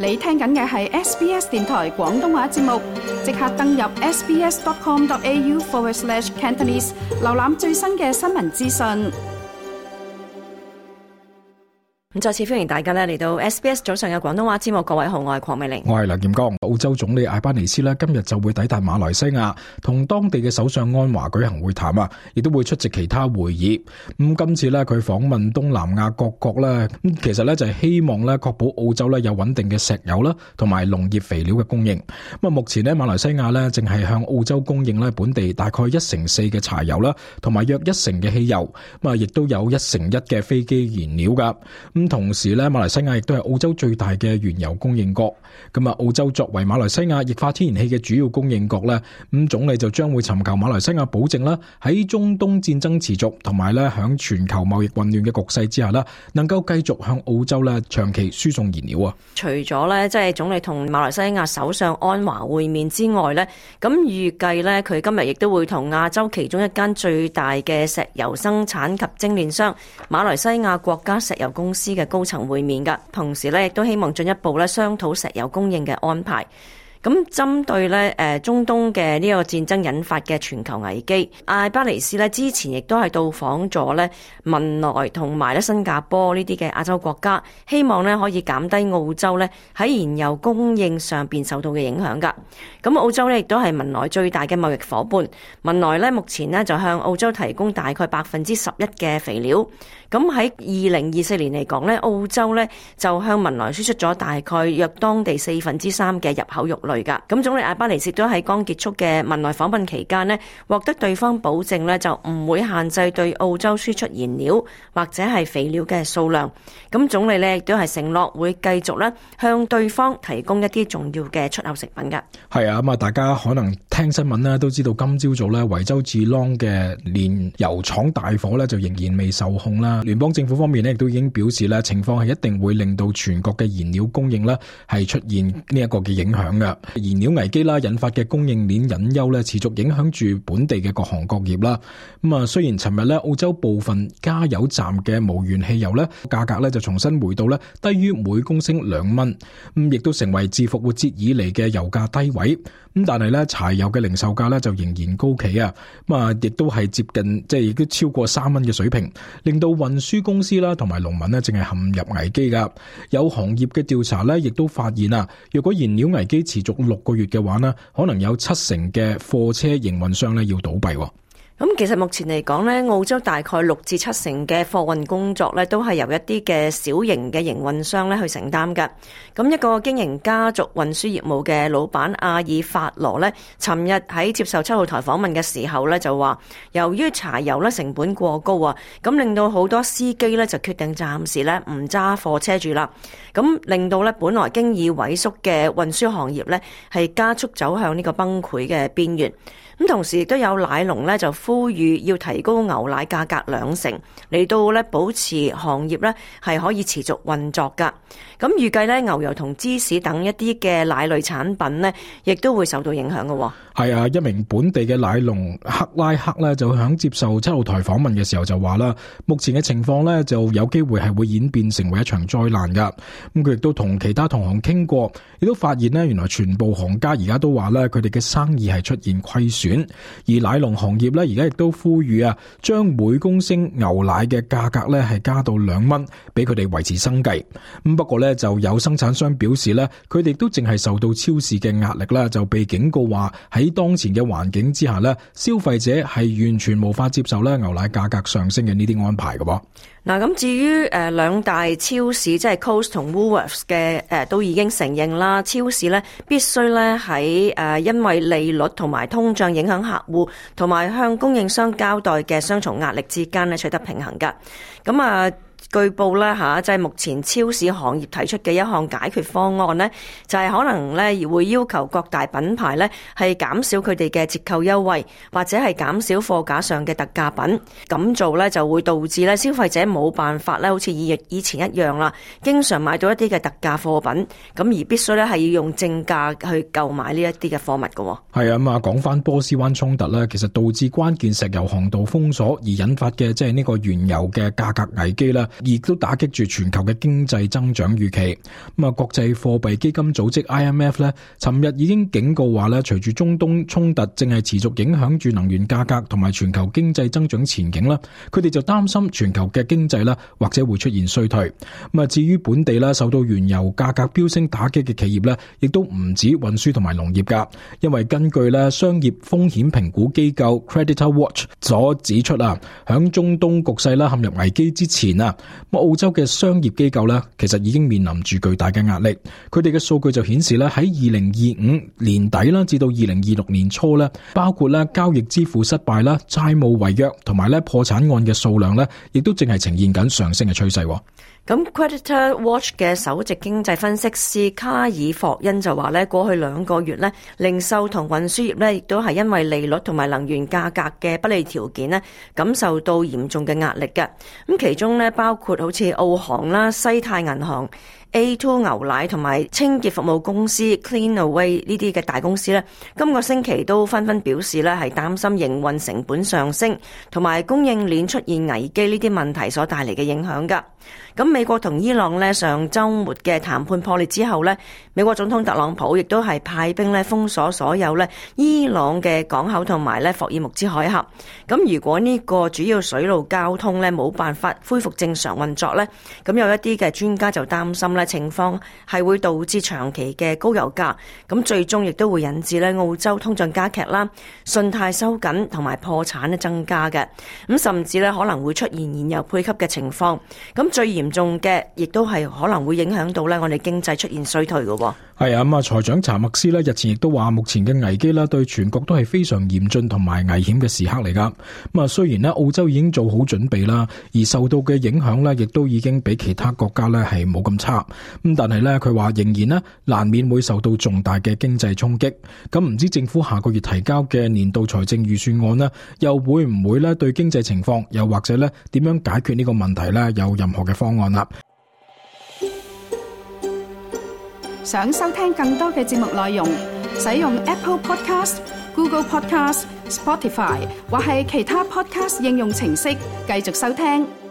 你聽緊嘅係 SBS 電台廣東話節目，即刻登入 sbs.com.au/Cantonese 瀏覽最新嘅新聞資訊。咁再次歡迎大家咧嚟到 SBS 早上嘅廣東話節目，各位好，我係鄺美玲，我係梁劍剛。澳洲總理艾巴尼斯咧今日就會抵達馬來西亞，同當地嘅首相安華舉行會談啊，亦都會出席其他會議。今次咧佢訪問東南亞各國咧，其實咧就係希望咧確保澳洲咧有穩定嘅石油啦，同埋農業肥料嘅供應。目前咧馬來西亞咧淨係向澳洲供應咧本地大概1/4嘅柴油啦，同埋約1/嘅汽油，亦都有1/1嘅飛機燃料噶。同時咧，馬來西亞亦都係澳洲最大嘅原油供應國。澳洲作為馬來西亞液化天然氣嘅主要供應國咧，總理就將會尋求馬來西亞保證啦，喺中東戰爭持續同埋咧響全球貿易混亂嘅局勢之下啦，能夠繼續向澳洲咧長期輸送燃料啊。除咗咧即係總理同馬來西亞首相安華會面之外咧，咁預計咧佢今日亦都會同亞洲其中一間最大嘅石油生產及精煉商馬來西亞國家石油公司嘅高層會面㗎，同時咧亦都希望進一步咧商討石油供應嘅安排。咁針對咧中東嘅呢個戰爭引發嘅全球危機，艾巴尼斯咧之前亦都係到訪咗咧文萊同埋咧新加坡呢啲嘅亞洲國家，希望咧可以減低澳洲咧喺燃油供應上邊受到嘅影響㗎。咁澳洲咧亦都係文萊最大嘅貿易夥伴，文萊咧目前咧就向澳洲提供大概11%嘅肥料。咁喺2024年嚟講咧，澳洲咧就向文萊輸出咗大概約當地3/4嘅入口肉類噶。咁總理艾巴尼斯都喺剛結束嘅文萊訪問期間咧，獲得對方保證咧就唔會限制對澳洲輸出燃料或者係肥料嘅數量。咁總理咧亦都係承諾會繼續咧向對方提供一啲重要嘅出口食品噶。係啊，大家可能聽新聞咧都知道，今朝早咧維州治朗嘅煉油廠大火咧就仍然未受控啦。聯邦政府方面咧亦都已經表示咧，情況係一定會令到全國嘅燃料供應咧係出現呢一個嘅影響嘅。燃料危機啦引發嘅供應鏈隱憂咧持續影響住本地嘅各行各業啦。雖然尋日咧澳洲部分加油站嘅無鉛汽油咧價格咧就重新回到咧低於每公升2蚊，亦都成為自復活節以嚟嘅油價低位。但係咧柴油嘅零售價咧就仍然高企啊，亦都係接近亦都超過3蚊嘅水平，令到運輸公司啦同埋農民咧正係陷入危機噶。有行業嘅調查咧亦都發現啊，若果燃料危機持續6個月嘅話呢，可能有70%嘅貨車營運商咧要倒閉。咁其實目前嚟講咧，澳洲大概6至7成嘅貨運工作咧，都係由一啲嘅小型嘅營運商咧去承擔㗎。咁一個經營家族運輸業務嘅老闆阿爾法羅咧，尋日喺接受7號台訪問嘅時候咧，就話由於柴油咧成本過高啊，咁令到好多司機咧就決定暫時咧唔揸貨車住啦。咁令到咧本來經已萎縮嘅運輸行業咧係加速走向呢個崩潰嘅邊緣。咁同時亦都有奶農咧就呼籲要提高牛奶價格2成，嚟到咧保持行業咧係可以持續運作噶。咁預計咧牛油同芝士等一啲嘅奶類產品咧，亦都會受到影響嘅。係啊，一名本地嘅奶農克拉克咧就響接受7號台訪問嘅時候就話啦，目前嘅情況咧就有機會係會演變成為一場災難噶。佢亦都同其他同行傾過，亦都發現咧原來全部行家而家都話咧佢哋嘅生意係出現虧損，而奶農行業咧而家亦都呼籲啊，將每公升牛奶嘅價格咧係加到2蚊，俾佢哋維持生計。不過咧就有生產商表示咧，佢哋都淨係受到超市嘅壓力啦，就被警告話喺當前嘅環境之下咧，消費者係完全無法接受咧牛奶價格上升嘅呢啲安排嘅噃。嗱，咁至於兩大超市即係 Coles 同 Woolworths 嘅都已經承認啦，超市咧必須咧喺因為利率同埋通脹影響客戶同埋向供應商交代嘅雙重壓力之間咧取得平衡噶。咁據報咧即係目前超市行業提出嘅一項解決方案咧，就係可能咧會要求各大品牌咧係減少佢哋嘅折扣優惠，或者係減少貨架上嘅特價品。咁做咧就會導致咧消費者冇辦法咧好似以前一樣啦，經常買到一啲嘅特價貨品，咁而必須咧係要用正價去購買呢一啲嘅貨物嘅。係啊，講翻波斯灣衝突咧，其實導致關鍵石油航道封鎖而引發嘅即係呢個原油嘅價格危機啦。亦都打擊住全球嘅經濟增長預期。咁啊，國際貨幣基金組織 IMF 咧，尋日已經警告話咧，隨住中東衝突正係持續影響住能源價格同埋全球經濟增長前景啦，佢哋就擔心全球嘅經濟啦或者會出現衰退。咁啊，至於本地啦，受到原油價格飆升打擊嘅企業咧，亦都唔止運輸同埋農業噶，因為根據咧商業風險評估機構 Creditor Watch 所指出啊，響中東局勢啦陷入危機之前啊，澳洲嘅商業機構咧其實已經面臨住巨大嘅壓力。佢哋嘅數據就顯示咧，喺2025年底啦至到2026年初咧，包括咧交易支付失敗啦、債務違約同埋咧破產案嘅數量咧，亦都正係呈現緊上升嘅趨勢。咁 Creditor Watch 嘅首席經濟分析師卡爾霍恩就話咧，過去2個月咧，零售同運輸業咧，亦都係因為利率同埋能源價格嘅不利條件咧，感受到嚴重嘅壓力嘅。咁其中咧，包括好似澳航啦、西太銀行、A2 牛奶同埋清潔服務公司 Cleanaway 呢啲嘅大公司咧，今個星期都紛紛表示咧，係擔心營運成本上升同埋供應鏈出現危機呢啲問題所帶嚟嘅影響噶。咁美國同伊朗咧上週末嘅談判破裂之後咧，美國總統特朗普亦都係派兵咧封鎖所有咧伊朗嘅港口同埋咧霍爾木茲海峽。咁如果呢個主要水路交通咧冇辦法恢復正常運作咧，咁有一啲嘅專家就擔心咧情況係會導致長期嘅高油價，咁最終亦都會引致咧澳洲通脹加劇啦、信貸收緊同埋破產咧增加嘅，咁甚至咧可能會出現燃油配給嘅情況。咁最嚴重嘅，亦都係可能會影響到咧我哋經濟出現衰退嘅。係啊，咁啊，財長查默斯咧日前亦都話，目前嘅危機咧對全國都係非常嚴峻同埋危險嘅時刻嚟噶。咁啊，雖然咧澳洲已經做好準備啦，而受到嘅影響咧亦都已經比其他國家咧係冇咁差。咁但係咧佢話仍然咧難免會受到重大嘅經濟衝擊。咁唔知政府下個月提交嘅年度財政預算案咧，又會唔會咧對經濟情況，又或者咧點樣解決呢個問題咧有任何嘅方案啦？想收聽更多嘅節目內容，使用 Apple Podcast、Google Podcast、Spotify 或係其他 Podcast 應用程式繼續收聽。